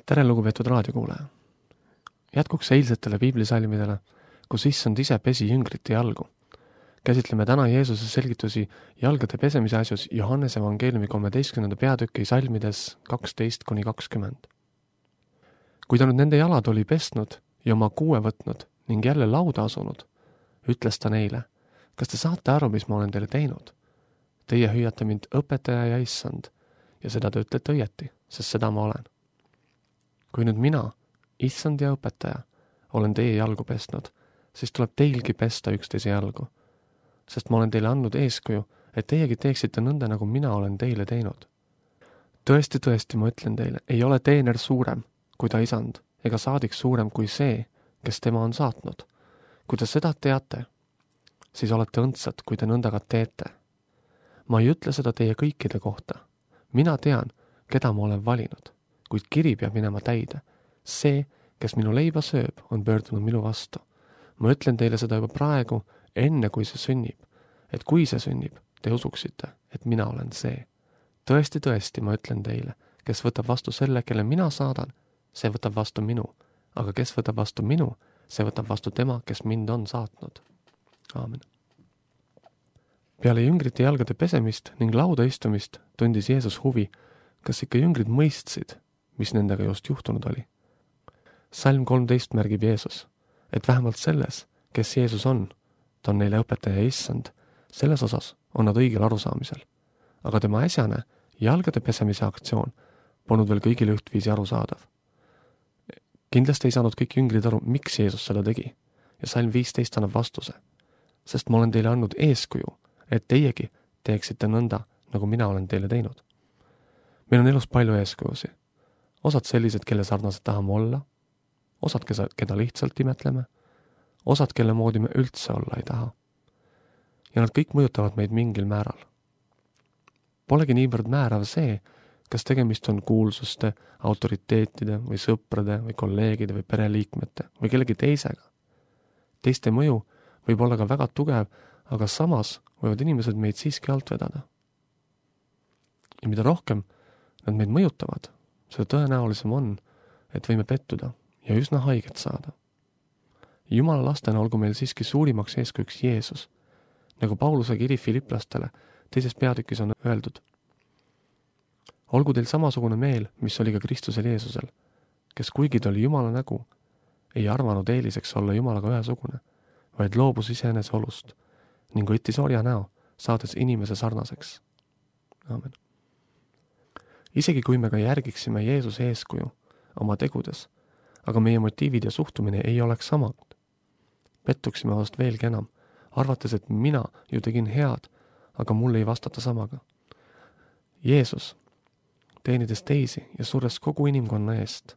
Tere, lugupeetud raadiokuulaja! Jätkuks eilsetele piiblisalmidele, kus issand ise pesi jüngrite jalgu. Käsitleme täna Jeesuse selgitusi jalgade pesemise asjus Johannese evangeeliumi 13. peatüki salmides 12-20. Kui ta nüüd nende jalad oli pesnud ja oma kuue võtnud ning jälle lauda asunud, ütles ta neile, kas te saate aru, mis ma olen teile teinud? Teie hüüate mind õpetaja ja issand ja seda te ütlete õieti, sest seda ma olen. Kui nüüd mina, issand ja õpetaja, olen teie jalgu pestnud, siis tuleb teilgi pesta üksteise jalgu, sest ma olen teile andnud eeskuju, et teiegi teeksite nõnda, nagu mina olen teile teinud. Tõesti, ma ütlen teile, ei ole teener suurem kui ta isand, ega saadik suurem kui see, kes tema on saatnud. Kui te seda teate, siis olete õndsad, kui te nõnda ka teete. Ma ei ütle seda teie kõikide kohta. Mina tean, keda ma olen valinud, kuid kiri peab minema täide. See, kes minu leiba sööb, on pöördunud minu vastu. Ma ütlen teile seda juba praegu, enne kui see sünnib, et kui see sünnib, te usuksite, et mina olen see. Tõesti, ma ütlen teile, kes võtab vastu selle, kelle mina saadan, see võtab vastu minu, aga kes võtab vastu minu, see võtab vastu tema, kes mind on saatnud. Aamen. Peale jüngrite jalgade pesemist ning lauda istumist tundis Jeesus huvi, kas ikka jüngrid mõistsid, mis nendega just juhtunud oli. Salm 13 märgib Jeesus, et vähemalt selles, kes Jeesus on, ta on neile õpetaja issand, selles osas on nad õigel arusaamisel. Aga tema äsjane jalgade pesemise aktsioon polnud veel kõigile ühtviisi arusaadav. Kindlasti ei saanud kõik jüngrid aru, miks Jeesus seda tegi, ja salm 15 annab vastuse, sest ma olen teile andnud eeskuju, et teiegi teeksite nõnda, nagu mina olen teile teinud. Meil on elus palju eeskujusi. Osad sellised, kelle sarnased tahame olla, osad, keda lihtsalt imetleme, osad, kelle moodi me üldse olla ei taha. Ja nad kõik mõjutavad meid mingil määral. Polegi niivõrd määrav see, kas tegemist on kuulsuste, autoriteetide või sõprade või kolleegide või pereliikmete või kellegi teisega. Teiste mõju võib olla ka väga tugev, aga samas võivad inimesed meid siiski alt vedada. Ja mida rohkem nad meid mõjutavad, seda tõenäolisem on, et võime pettuda ja üsna haiget saada. Jumala lastena olgu meil siiski suurimaks eeskujuks Jeesus, nagu Pauluse kiri Filiplastele teises peatükis on öeldud. Olgu teil samasugune meel, mis oli ka Kristusel Jeesusel, kes kuigi ta oli Jumala nägu, ei arvanud eeliseks olla Jumalaga ühesugune, vaid loobus iseenese olust ning võttis orja näo, saades inimese sarnaseks. Aamen. Isegi kui me ka järgiksime Jeesuse eeskuju oma tegudes, aga meie motiivid ja suhtumine ei oleks samad, pettuksime vast veelgi enam, arvates, et mina ju tegin head, aga mul ei vastata samaga. Jeesus, teenides teisi ja surres kogu inimkonna eest,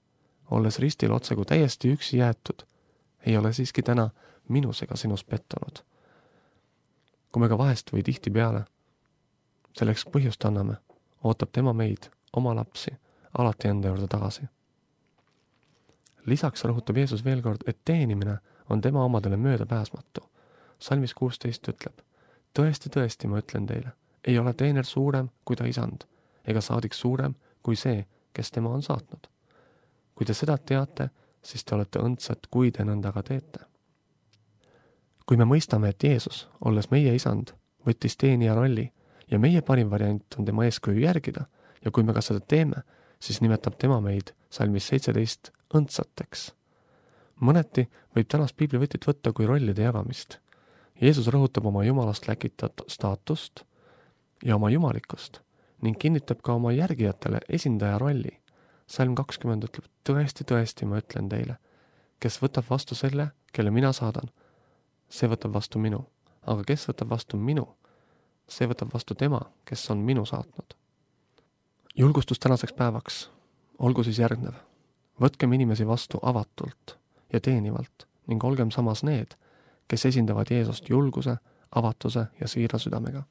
olles ristil otsagu täiesti üksi jäetud, ei ole siiski täna minus ega sinus pettunud. Kui me ka vahest või tihti peale selleks põhjust anname, ootab tema meid, oma lapsi, alati enda juurde tagasi. Lisaks rõhutab Jeesus veel kord, et teenimine on tema omadele möödapääsmatu. Salmis 16 ütleb, tõesti, ma ütlen teile, ei ole teener suurem kui ta isand, ega saadik suurem kui see, kes tema on saatnud. Kui te seda teate, siis te olete õndsad, kui te nõnda ka teete. Kui me mõistame, et Jeesus, olles meie isand, võttis teenija rolli ja meie parim variant on tema eeskuju järgida ja kui me ka seda teeme, siis nimetab tema meid salmis 17 õndsateks. Mõneti võib tänast piiblivõtit võtta kui rollide jagamist. Jeesus rõhutab oma jumalast läkitat staatust ja oma jumalikkust ning kinnitab ka oma järgijatele esindaja rolli. Salm 20 ütleb, tõesti, ma ütlen teile, kes võtab vastu selle, kelle mina saadan, see võtab vastu minu, aga kes võtab vastu minu, see võtab vastu tema, kes on minu saatnud. Julgustus tänaseks päevaks, olgu siis järgnev. Võtkem inimesi vastu avatult ja teenivalt ning olgem samas need, kes esindavad Jeesust julguse, avatuse ja siira südamega.